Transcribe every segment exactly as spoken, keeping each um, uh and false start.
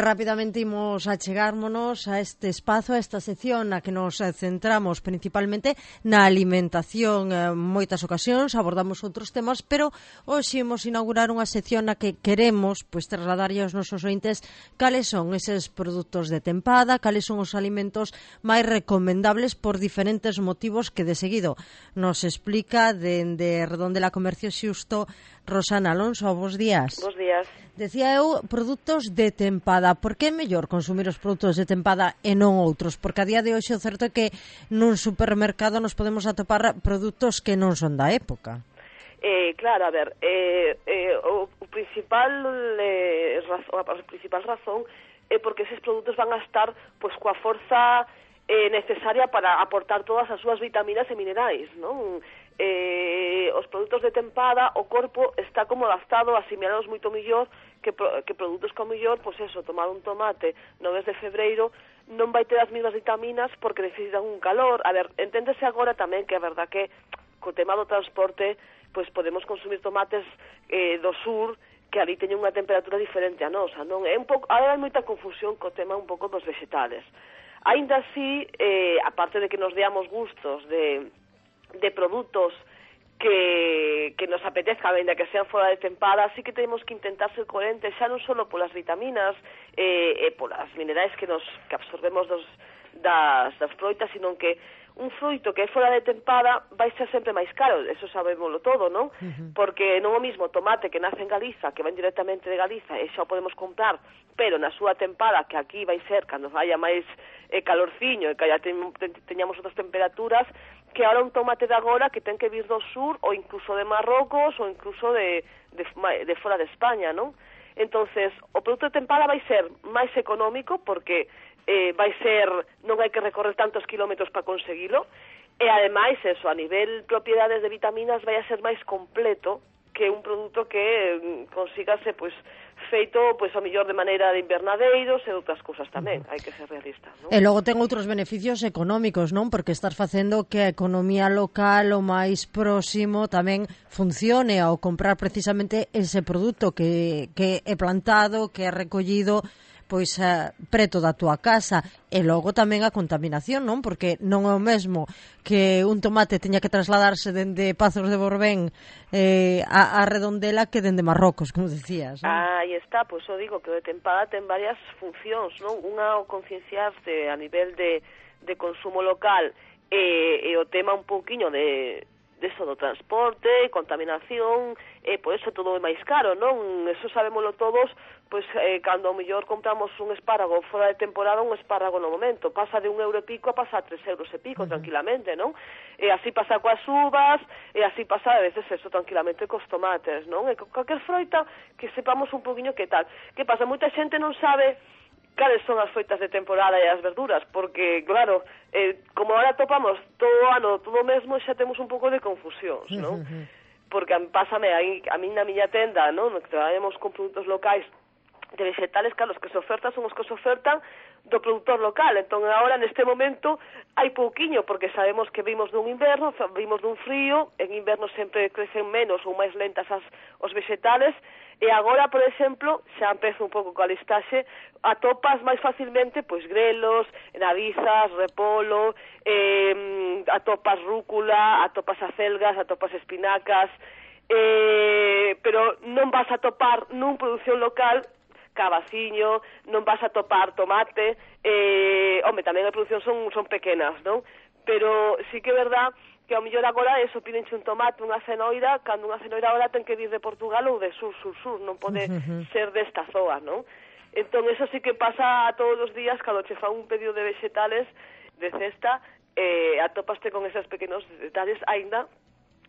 rapidamente imos achegármonos a este espazo, a esta sección na que nos centramos principalmente na alimentación. En moitas ocasións abordamos outros temas, pero hoxe imos inaugurar unha sección na que queremos pois trasladarlle aos nosos ointes cales son eses produtos de tempada, cales son os alimentos máis recomendables por diferentes motivos que de seguido nos explica dende Redondela Comercio Xusto Rosana Alonso. Bos días. Bos días. Decía eu, produtos de tempada. Por que é mellor consumir os produtos de tempada e non outros? Porque a día de hoxe o certo é que nun supermercado nos podemos atopar produtos que non son da época. Eh, claro, a ver, eh, eh, o, o principal eh, razón, a principal razón é porque eses produtos van a estar pois coa forza eh, necesaria para aportar todas as súas vitaminas e minerais, non? Eh, os produtos de tempada, o corpo está como adaptado a asimilados moito mellor que, pro, que produtos como mellor, pois eso, tomar un tomate no mes de febreiro non vai ter as mesmas vitaminas porque necesitan un calor. A ver, enténdese agora tamén que é verdad que co tema do transporte pois podemos consumir tomates eh, do sur que ali teñen unha temperatura diferente a nosa, non? É un pouco, agora hai moita confusión co tema un pouco dos vegetales. Ainda así, eh, aparte de que nos deamos gustos de de produtos que, que nos apetezca, ainda que sean fora de tempada, así que temos que intentar ser coherentes xa non só polas vitaminas e eh, eh, polas minerais que nos que absorbemos dos, das, das froitas, sino que un froito que é fora de tempada vai ser sempre máis caro, eso sabémoslo todo, non? Uh-huh. Porque non o mismo tomate que nace en Galiza, que ven directamente de Galiza, e xa o podemos comprar, pero na súa tempada, que aquí vai ser cando vaya máis eh, calorciño e que ya ten, ten, teñamos outras temperaturas, que ahora un tomate de agora que ten que vir do sur ou incluso de Marrocos ou incluso de, de, de fora de España, non? Entonces, o produto de tempada vai ser máis económico porque eh, vai ser, non hai que recorrer tantos kilómetros para conseguilo, e ademais, eso, a nivel propiedades de vitaminas vai a ser máis completo que un produto que eh, consígase, pois, feito, pois, a mellor de maneira de invernadeiros e outras cousas tamén, hai que ser realista, non? E logo ten outros beneficios económicos, non? Porque estás facendo que a economía local o máis próximo tamén funcione ao comprar precisamente ese produto que, que é plantado, que é recollido pois uh, preto da túa casa. E logo tamén a contaminación, non? Porque non é o mesmo que un tomate teña que trasladarse dende Pazos de Borbén eh, a, a Redondela que dende Marrocos, como decías, non? Ah, aí está, pois eu digo que o de tempada ten varias funcións, non? Unha o concienciarse a nivel de, de consumo local e, e o tema un pouquiño de deso do transporte, contaminación, e por eso todo é máis caro, non? Eso sabémoslo todos, pois eh, cando ao mellor compramos un espárrago fora de temporada, un espárrago no momento, pasa de un euro e pico a pasar a tres euros e pico, uh-huh. tranquilamente, non? E así pasa coas uvas, e así pasa a veces eso tranquilamente cos tomates, non? E calquer froita que sepamos un poquinho que tal. Que pasa? Moita xente non sabe cales son as froitas de temporada e as verduras, porque, claro, eh, como ahora topamos todo o ano, todo o mesmo, xa temos un pouco de confusións, non? Porque pásame, aí, a mí na miña tenda, non? Que traemos con produtos locais de vegetales, claro, os que se ofertan son os que se ofertan do productor local. Entón, agora, neste momento, hai pouquiño, porque sabemos que vimos dun inverno, vimos dun frío, en inverno sempre crecen menos ou máis lentas as, os vegetales, e agora, por exemplo, xa empezo un pouco coa listaxe, atopas máis facilmente, pois, grelos, navizas, repolo, eh, atopas rúcula, atopas acelgas, atopas espinacas, eh, pero non vas a topar nun produción local cabaciño, non vas a topar tomate, eh, home, tamén a produción son, son pequenas, non? Pero sí que é verdad que ao mellor agora eso, pídenche un tomate, unha cenoira, cando unha cenoira agora ten que vir de Portugal ou de sur, sur, sur, non pode uh-huh. ser desta zoa, non? Entón, eso sí que pasa todos os días, cando che fa un pedido de vegetales de cesta, eh, atopaste con esos pequenos detalles, aínda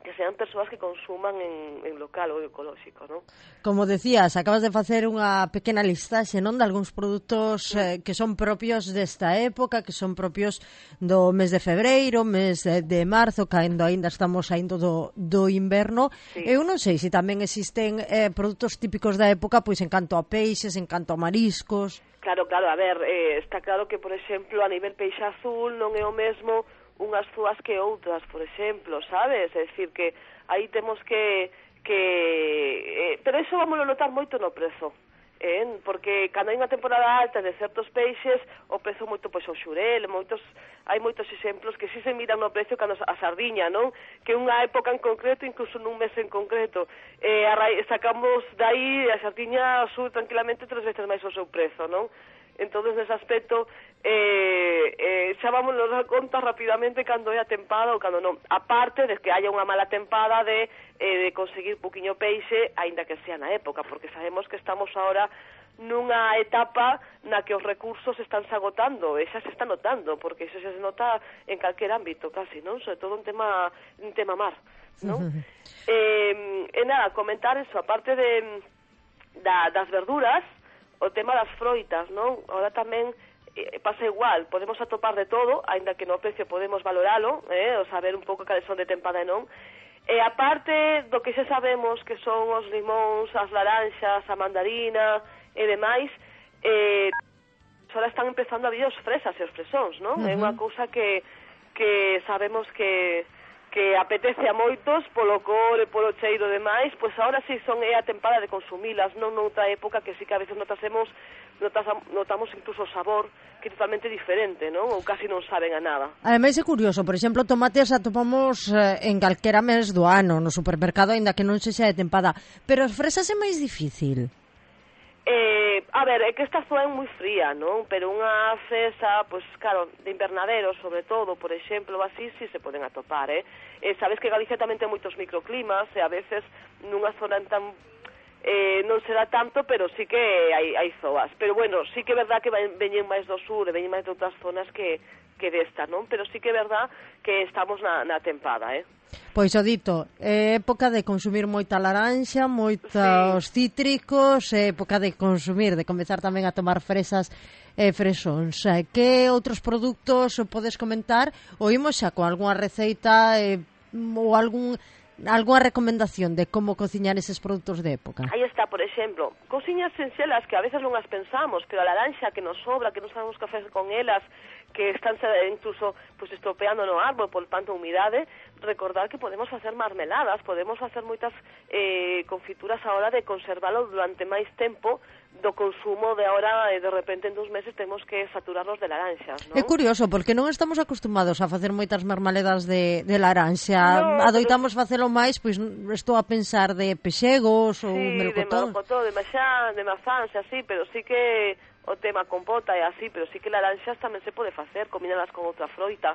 que sean persoas que consuman en, en local ou ecolóxico, non? Como decías, acabas de facer unha pequena listaxe, non, de algúns produtos sí. eh, que son propios desta época, que son propios do mes de febreiro, mes de, de marzo, cando aínda estamos saindo do, do inverno. Sí. Eu non sei se tamén existen eh, produtos típicos da época, pois en canto a peixes, en canto a mariscos. Claro, claro, a ver, eh, está claro que, por exemplo, a nivel peixe azul non é o mesmo unhas zúas que outras, por exemplo, sabes? É dicir, que aí temos que... que eh, pero iso vamos a notar moito no prezo. eh? Porque cando hai unha temporada alta de certos peixes o prezo moito, pois o xurel, moitos, hai moitos exemplos que si se miran no precio cando a sardiña, non? Que unha época en concreto, incluso nun mes en concreto, eh, a ra... sacamos dai a sardiña sube tranquilamente tres veces máis o seu prezo, non? Entonces, nese aspecto, eh, eh, xa vamos nos dar conta rapidamente cando é a tempada ou cando non. Aparte de que haya unha mala tempada de, eh, de conseguir poquinho peixe, aínda que sea na época, porque sabemos que estamos ahora nunha etapa na que os recursos están se agotando, e xa se está notando, porque iso xa se nota en calquer ámbito, casi, non? Sobre todo un tema, un tema mar, non? eh, e nada, comentar eso, aparte de da, das verduras, o tema das froitas, non? Ahora tamén eh, pasa igual, podemos atopar de todo, aínda que no precio podemos valoralo, eh, o saber un pouco cales son de tempada e non. E aparte do que xa sabemos que son os limóns, as laranxas, a mandarina e demais, eh, ahora están empezando a vir os fresas e os fresóns, non? Uh -huh. É unha cousa que, que sabemos que que apetece a moitos polo cor e polo cheiro demais, pois agora si son é a tempada de consumilas, non noutra época que si que a veces notasemos, notas, notamos incluso o sabor que é totalmente diferente, non? Ou casi non saben a nada. Ademais é curioso, por exemplo, tomates atopamos eh, en calquera mes do ano no supermercado, aínda que non se xa de tempada, pero as fresas é máis difícil. Eh, a ver, é que esta zona é moi fría, non? Pero unha fresa, pois claro, de invernadero, sobre todo, por exemplo, así, si se poden atopar, eh? eh sabes que Galicia tamén ten moitos microclimas, e a veces nunha zona tan eh, non será tanto, pero sí que hai, hai zoas. Pero bueno, sí que é verdad que veñen máis do sur, e veñen máis de outras zonas que, que desta, non? Pero sí que é verdad que estamos na, na tempada, eh? Pois o dito, é época de consumir moita laranxa, moitos sí. cítricos, é época de consumir, de comezar tamén a tomar fresas e fresóns. Que outros produtos podes comentar? Oímos xa con algunha receita eh, ou algún algunha recomendación de como cociñar eses produtos de época? Aí está, por exemplo, cociñas sinxelas que a veces non as pensamos, pero a laranxa que nos sobra, que non sabemos que facer con elas, que están incluso pues, estropeando no árbol por tanta humidade, recordar que podemos facer marmeladas, podemos facer moitas eh, confituras ahora de conservalo durante máis tempo do consumo de ahora, e de repente en dos meses temos que saturarnos de laranxas, non? É curioso, porque non estamos acostumados a facer moitas marmaledas de, de laranxa, no, adoitamos pero... facelo máis, pois estou a pensar de pexegos ou sí, melocotón. de melocotón, de maxá, de mazán, así, pero sí que o tema compota é así, pero sí que laranxas tamén se pode facer, combinadas con outra froita.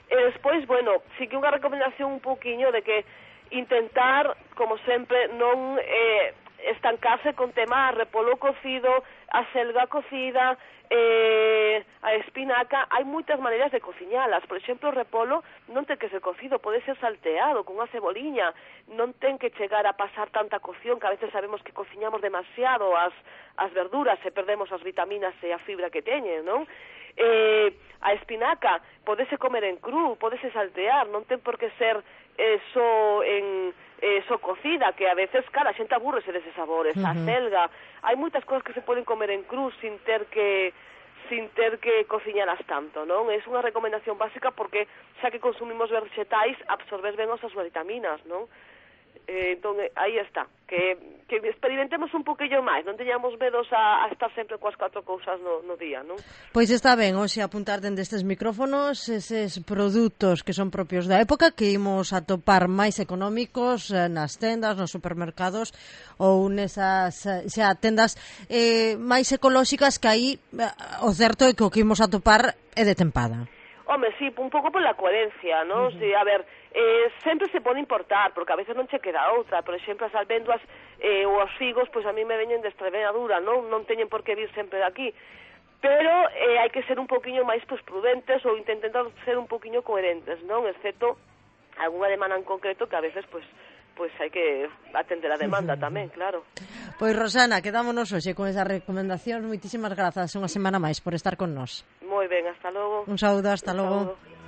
E despois, bueno, sí que unha recomendación un pouquiño de que intentar, como sempre, non eh, estancarse con tema repolo cocido, a selga cocida, eh, a espinaca. Hai moitas maneiras de cociñalas. Por exemplo, o repolo non ten que ser cocido, pode ser salteado con unha ceboliña, non ten que chegar a pasar tanta cocción, que a veces sabemos que cociñamos demasiado as, as verduras e perdemos as vitaminas e a fibra que teñen, non? Eh, a espinaca podese comer en cru, podese saltear, non ten por que ser eh, só en eh, só cocida, que a veces, cara, a xente aburrese deses sabores. Uh -huh. A selga, hai moitas cosas que se poden comer en cru sin ter que sin ter que cociñalas tanto, non? É unha recomendación básica porque xa que consumimos vegetais, absorbes ben as súas vitaminas, non? Eh, entón, aí está, que, que experimentemos un poquillo máis, non teñamos medos a, a estar sempre coas catro cousas no, no día, non? Pois está ben, hoxe apuntar dende estes micrófonos eses produtos que son propios da época, que imos a topar máis económicos eh, nas tendas, nos supermercados ou nesas xa tendas eh, máis ecolóxicas, que aí eh, o certo é que o que imos a topar é de tempada. Home, sí, un pouco pola coherencia, non? Uh -huh. Sí, a ver, eh, sempre se pode importar, porque a veces non che queda outra. Por exemplo, as almendras eh, ou os figos, pois a mí me veñen de Extremadura, non? Non teñen por que vir sempre de aquí. Pero eh, hai que ser un poquinho máis pues, prudentes ou intentar ser un poquinho coherentes, non? Excepto algunha demanda en concreto que a veces, pois, pues, hai que atender a demanda tamén, claro. Pois, Rosana, quedámonos hoxe con esas recomendacións. Moitísimas grazas unha semana máis por estar con nós. Moi ben, hasta logo. Un saúdo, hasta Un logo. saúdo.